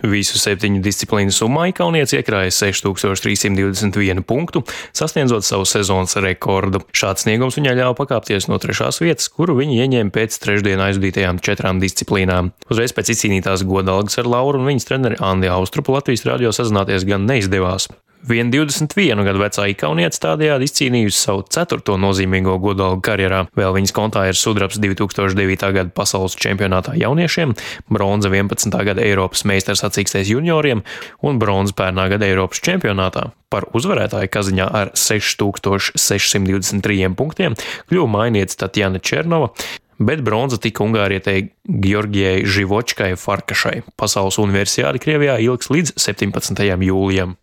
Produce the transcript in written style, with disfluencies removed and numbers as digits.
Visu 7 disciplīnu summā ikaunietis iekrāja 6321 punktu, sasniedzot savu sezonas rekordu. Šāds sniegums viņai ļāva pakāpties no 3. vietas, kuru viņa ieņēma pēc trešdienā aizvadītajām 4 disciplīnām. Uzreiz pēc izcīnītās godalgas ar Lauru un viņas treneri Andi Austrupu Latvijas radio sazināties gan neizdevās. Vien 21 gadu vecā ikaunietis tādējādi izcīnījusi savu 4. nozīmīgo godalgu karjerā. Vēl viņas kontā ir sudrabs 2009. gada pasaules čempionātā jauniešiem, bronza 11. gada Eiropas meistars sacīkstēs junioriem un bronza pērnā gada Eiropas čempionātā. Par uzvarētāju kaziņā ar 6623 punktiem kļuva mainietis Tatjana Černova, bet bronza tika ungārietei Georgijai Živočkai Farkašai. Pasaules universiāde Krievijā ilgs līdz 17. jūlijam.